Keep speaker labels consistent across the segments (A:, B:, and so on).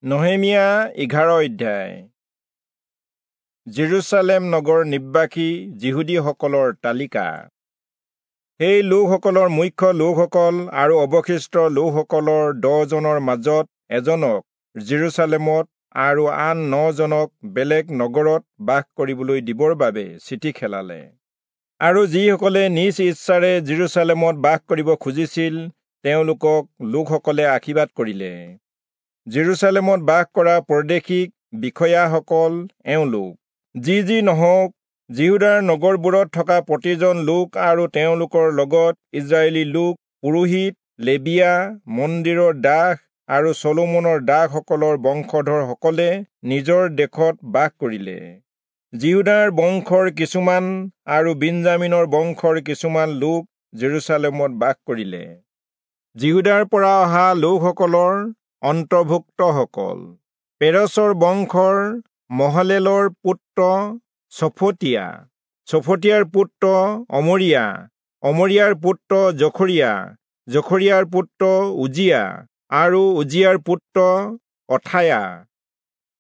A: নহেমিয়া 11 অধ্যায়। জেৰুচালেম নগৰ নিবাসী যিহুদীসকলৰ তালিকা। সেই লোকসকলৰ মুখ্য লোকসকল আৰু অৱশিষ্ট লোকসকলৰ 10 জনৰ মাজত এজনক জেৰুচালেমত আৰু আন 9 জনক বেলেগ নগৰত বাস কৰিবলৈ দিবৰ বাবে চিঠি খেলালে। আৰু যিসকলে নিজ ইচ্ছাৰে জেৰুচালেমত বাস কৰিব খুজিছিল তেওঁলোকক লোকসকলে আশীৰ্বাদ কৰিলে। জেৰুচালেমত বাস কৰা পৰদেশিক বিষয়াসকল এওঁলোক। যি যি নহওক, যিহূদাৰ নগৰবোৰত থকা প্ৰতিজন লোক আৰু তেওঁলোকৰ লগত ইস্ৰায়েলী লোক, পুৰোহিত, লেবীয়া, মন্দিৰৰ দাস আৰু চলোমনৰ দাসসকলৰ বংশধৰসকলে নিজৰ দেশত বাস কৰিলে। যিহূদাৰ বংশৰ কিছুমান আৰু বিন্যামীনৰ বংশৰ কিছুমান লোক জেৰুচালেমত বাস কৰিলে। যিহূদাৰ পৰা অহা লোকসকলৰ অন্তৰ্ভুক্তসকল: পেৰচৰ বংশৰ মহলেলৰ পুত্ৰ চফটীয়া, চফটীয়াৰ পুত্ৰ অমৰিয়া, অমৰিয়াৰ পুত্ৰ জখৰিয়া, জখৰিয়াৰ পুত্ৰ উজিয়া আৰু উজিয়াৰ পুত্ৰ অথায়া।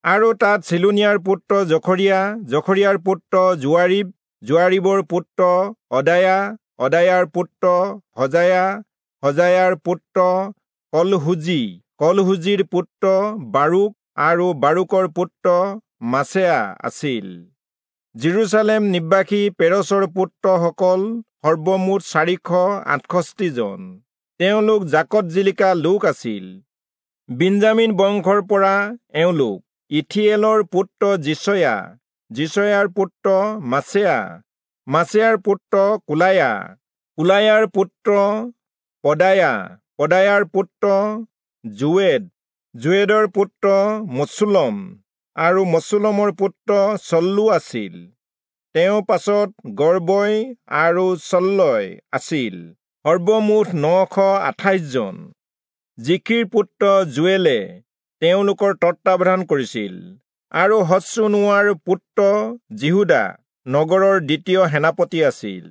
A: আৰু তাত চিলোনিয়াৰ পুত্ৰ জখৰিয়া, জখৰিয়াৰ পুত্ৰ যোৱাৰীব, যোৱাৰীবৰ পুত্ৰ অদায়া, অদায়াৰ পুত্ৰ হজায়া, হজায়াৰ পুত্ৰ কলহুজি, কলহুজিৰ পুত্ৰ বাৰুক আৰু বাৰুকৰ পুত্ৰ মাছেয়া আছিল। জেৰুচালেম নিবাসী পেৰচৰ পুত্ৰসকল সৰ্বমুঠ 468 জন। তেওঁলোক জাকত জিলিকা লোক আছিল। বিন্যামীন বংশৰ পৰা এওঁলোক: ইথিয়েলৰ পুত্ৰ যিচয়া, যিচয়াৰ পুত্ৰ মাছেয়া, মাছেয়াৰ পুত্ৰ কোলায়া, কোলায়াৰ পুত্ৰ পদায়া, পদায়াৰ পুত্ৰ যোৱেদ, যোৱেদৰ পুত্ৰ মচুলম আৰু মচুলমৰ পুত্ৰ চল্লু আছিল। তেওঁ পাছত গৰ্বয় আৰু চল্লয় আছিল। সৰ্বমুঠ 928 জন। জিখিৰ পুত্ৰ যোৱেলে তেওঁলোকৰ তত্বাৱধান কৰিছিল আৰু হচ্চুনোৱাৰ পুত্ৰ যিহূদা নগৰৰ দ্বিতীয় সেনাপতি আছিল।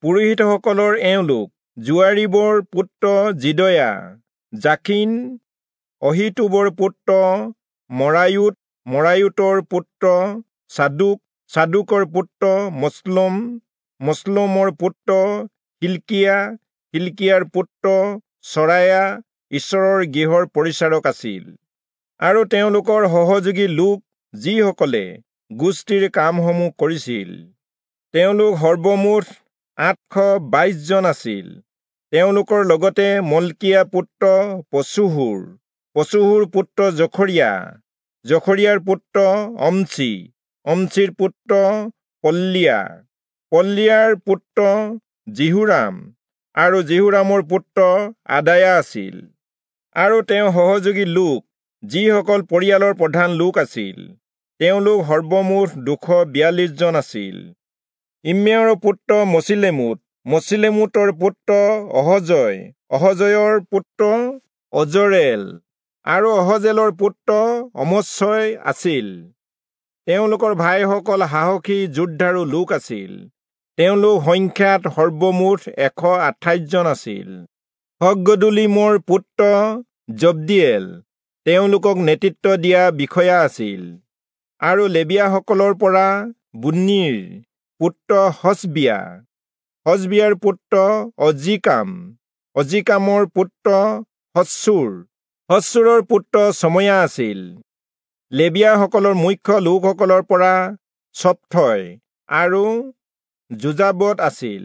A: পুৰোহিতসকলৰ এওঁলোক: যোৱাৰীবৰ পুত্ৰ যিদয়া, জাখিন, অহীতূবৰ পুত্ৰ মৰায়োত, মৰায়োতৰ পুত্ৰ চাদোক, চাদোকৰ পুত্ৰ মচলোম, মচলোমৰ পুত্ৰ হিল্কিয়া, হিল্কিয়াৰ পুত্ৰ চৰায়া ঈশ্বৰৰ গৃহৰ পৰিচাৰক আছিল। আৰু তেওঁলোকৰ সহযোগী লোক যিসকলে গোষ্ঠীৰ কামসমূহ কৰিছিল, তেওঁলোক সৰ্বমুঠ 822 জন আছিল। তেওঁলোকৰ লগতে মল্কিয়া পুত্ৰ পচুহুৰ, পচুহুৰ পুত্ৰ জখৰিয়া, জখৰিয়াৰ পুত্ৰ অম্চি, অম্চিৰ পুত্ৰ পল্লিয়া, পল্লিয়াৰ পুত্ৰ যিহোৰাম আৰু যিহোৰামৰ পুত্ৰ আদায়া আছিল। আৰু তেওঁ সহযোগী লোক যিসকল পৰিয়ালৰ প্ৰধান লোক আছিল, তেওঁলোক সৰ্বমুঠ 242 জন আছিল। ইম্মেৰৰ পুত্ৰ মচিলেমোত, মচিলেমোতৰ পুত্ৰ অহজয়, অহজয়ৰ পুত্ৰ অজৰেল আৰু অহজেলৰ পুত্ৰ অমচয় আছিল। তেওঁলোকৰ ভাইসকল সাহসী যোদ্ধাৰো লোক আছিল। তেওঁলোক সংখ্যাত সৰ্বমুঠ 128 জন আছিল। হগ্গদোলীমৰ পুত্ৰ জব্দিয়েল তেওঁলোকক নেতৃত্ব দিয়া বিষয়া আছিল। আৰু লেবীয়াসকলৰ পৰা বুন্নীৰ পুত্ৰ হচবিয়া, হচবিয়াৰ পুত্ৰ অজীকাম, অজীকামৰ পুত্ৰ হচ্চুৰ, হচ্চুৰৰ পুত্ৰ চময়া আছিল। লেবীয়াসকলৰ মুখ্য লোকসকলৰ পৰা চপ্থয় আৰু যোজাবদ আছিল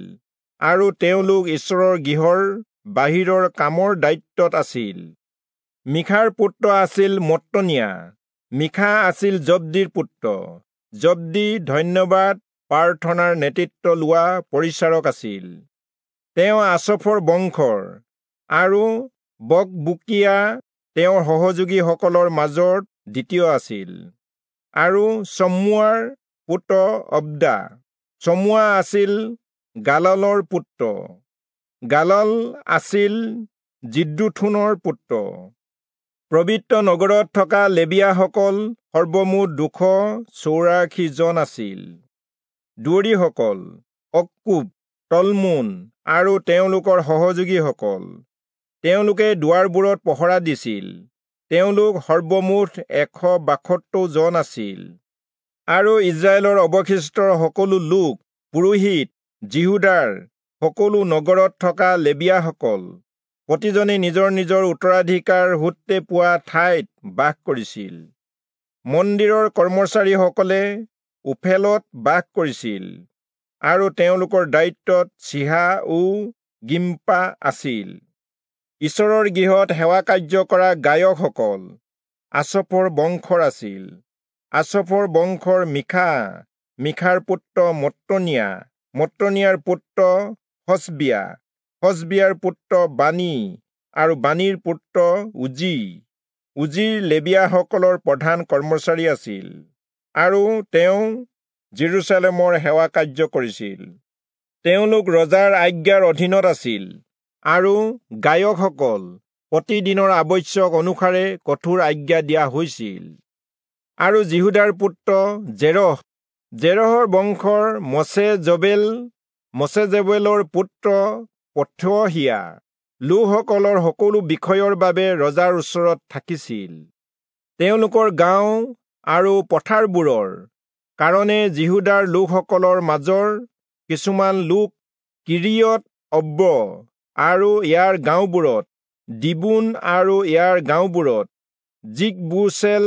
A: আৰু তেওঁলোক ঈশ্বৰৰ গৃহৰ বাহিৰৰ কামৰ দায়িত্বত আছিল। মিখাৰ পুত্ৰ আছিল মত্তনিয়া, মিখা আছিল জব্দিৰ পুত্ৰ। জব্দি ধন্যবাদ প্ৰাৰ্থনাৰ নেতৃত্ব লোৱা পৰিচাৰক আছিল। তেওঁ আচফৰ বংশৰ আৰু বকবুকিয়া তেওঁৰ সহযোগীসকলৰ মাজত দ্বিতীয় আছিল। আৰু চম্মুৱাৰ পুত্ৰ অব্দা, চমুৱা আছিল গাললৰ পুত্ৰ, গালল আছিল যিদ্দুথূনৰ পুত্ৰ। পবিত্ৰ নগৰত থকা লেবীয়াসকল সৰ্বমুঠ 284 জন আছিল। দুৱৰীসকল অক্কুব, তলমোন আৰু তেওঁলোকৰ সহযোগীসকল, তেওঁলোকে দুৱাৰবোৰত পহৰা দিছিল। তেওঁলোক সৰ্বমুঠ 172 জন আছিল। আৰু ইস্ৰায়েলৰ অৱশিষ্টৰ সকলো লোক, পুৰোহিত, যিহূদাৰ সকলো নগৰত থকা লেবীয়াসকল প্ৰতিজনে নিজৰ নিজৰ উত্তৰাধিকাৰ সূত্ৰে পোৱা ঠাইত বাস কৰিছিল। মন্দিৰৰ কৰ্মচাৰীসকলে ওফেলত বাস কৰিছিল আৰু তেওঁলোকৰ দায়িত্বত চিহা ও গিম্পা আছিল। ঈশ্বৰৰ গৃহত সেৱা কাৰ্য কৰা গায়কসকল আচফৰ বংশৰ আছিল। আচফৰ বংশৰ মীখা, মীখাৰ পুত্ৰ মত্তনিয়া, মত্তনিয়াৰ পুত্ৰ হচবিয়া, হচবিয়াৰ পুত্ৰ বানী আৰু বানীৰ পুত্ৰ উজি। উজিৰ লেবীয়াসকলৰ প্ৰধান কৰ্মচাৰী আছিল আৰু তেওঁ যিৰূচালেমৰ সেৱা কাৰ্য কৰিছিল। তেওঁলোক ৰজাৰ আজ্ঞাৰ অধীনত আছিল আৰু গায়কসকল প্ৰতিদিনৰ আৱশ্যক অনুসাৰে কঠোৰ আজ্ঞা দিয়া হৈছিল। আৰু যিহূদাৰ পুত্ৰ জেৰহ, জেৰহৰ বংশৰ মচেজবেল, মচেজবেলৰ পুত্ৰ পথহিয়া লোকসকলৰ সকলো বিষয়ৰ বাবে ৰজাৰ ওচৰত থাকিছিল। তেওঁলোকৰ গাঁও আৰু পথাৰবোৰৰ কাৰণে যিহূদাৰ লোকসকলৰ মাজৰ কিছুমান লোক কিৰিয়ত অব্ব আৰু ইয়াৰ গাঁওবোৰত, দিবোন আৰু ইয়াৰ গাঁওবোৰত, যিকবুচেল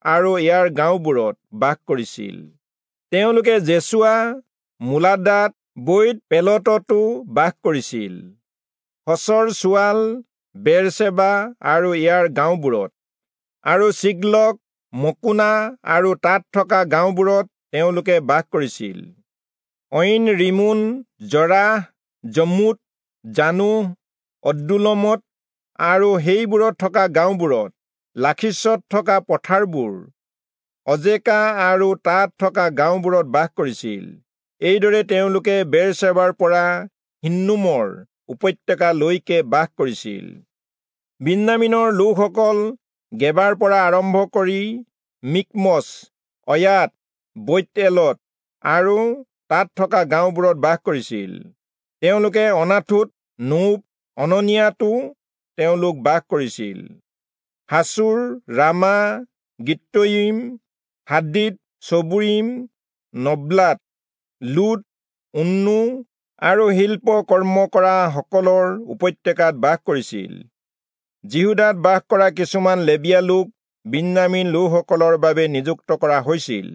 A: আৰু ইয়াৰ গাঁওবোৰত বাস কৰিছিল। তেওঁলোকে জেচুৱা, মোলাদাত, বৈত পেলততো বাস কৰিছিল। হচৰ চুৱাল, বেৰচেবা আৰু ইয়াৰ গাঁওবোৰত, আৰু চিগলক, মকোনা আৰু তাত থকা গাঁওবোৰত তেওঁলোকে বাস কৰিছিল। ঐন ৰিমোন, জৰাহ, জমুত, জানোহ, অদ্দুলমত আৰু সেইবোৰত থকা গাঁওবোৰত, লাখীচত থকা পথাৰবোৰ, অজেকা আৰু তাত থকা গাঁওবোৰত বাস কৰিছিল। এইদৰে তেওঁলোকে বেৰচেবাৰ পৰা হিন্নোমৰ উপত্যকালৈকে বাস কৰিছিল। বিন্যামীনৰ লোকসকল গেবাৰ পৰা আৰম্ভ কৰি মিকমচ, অয়াত, বৈৎএলত আৰু তাত থকা গাঁওবোৰত বাস কৰিছিল। তেওঁলোকে অনাথোত, নোব, অননিয়াতো তেওঁলোক বাস কৰিছিল। হাচুৰ, ৰামা, গিত্তয়িম, হাদিদ, চবুইম, নব্লাত, লুদ, উন্নু আৰু শিল্প কৰ্ম কৰা সকলৰ উপত্যকাত বাস কৰিছিল। যিহূদাত বাস কৰা কিছুমান লেবীয়া লোক বিন্যামীন লোকসকলৰ বাবে নিযুক্ত কৰা হৈছিল।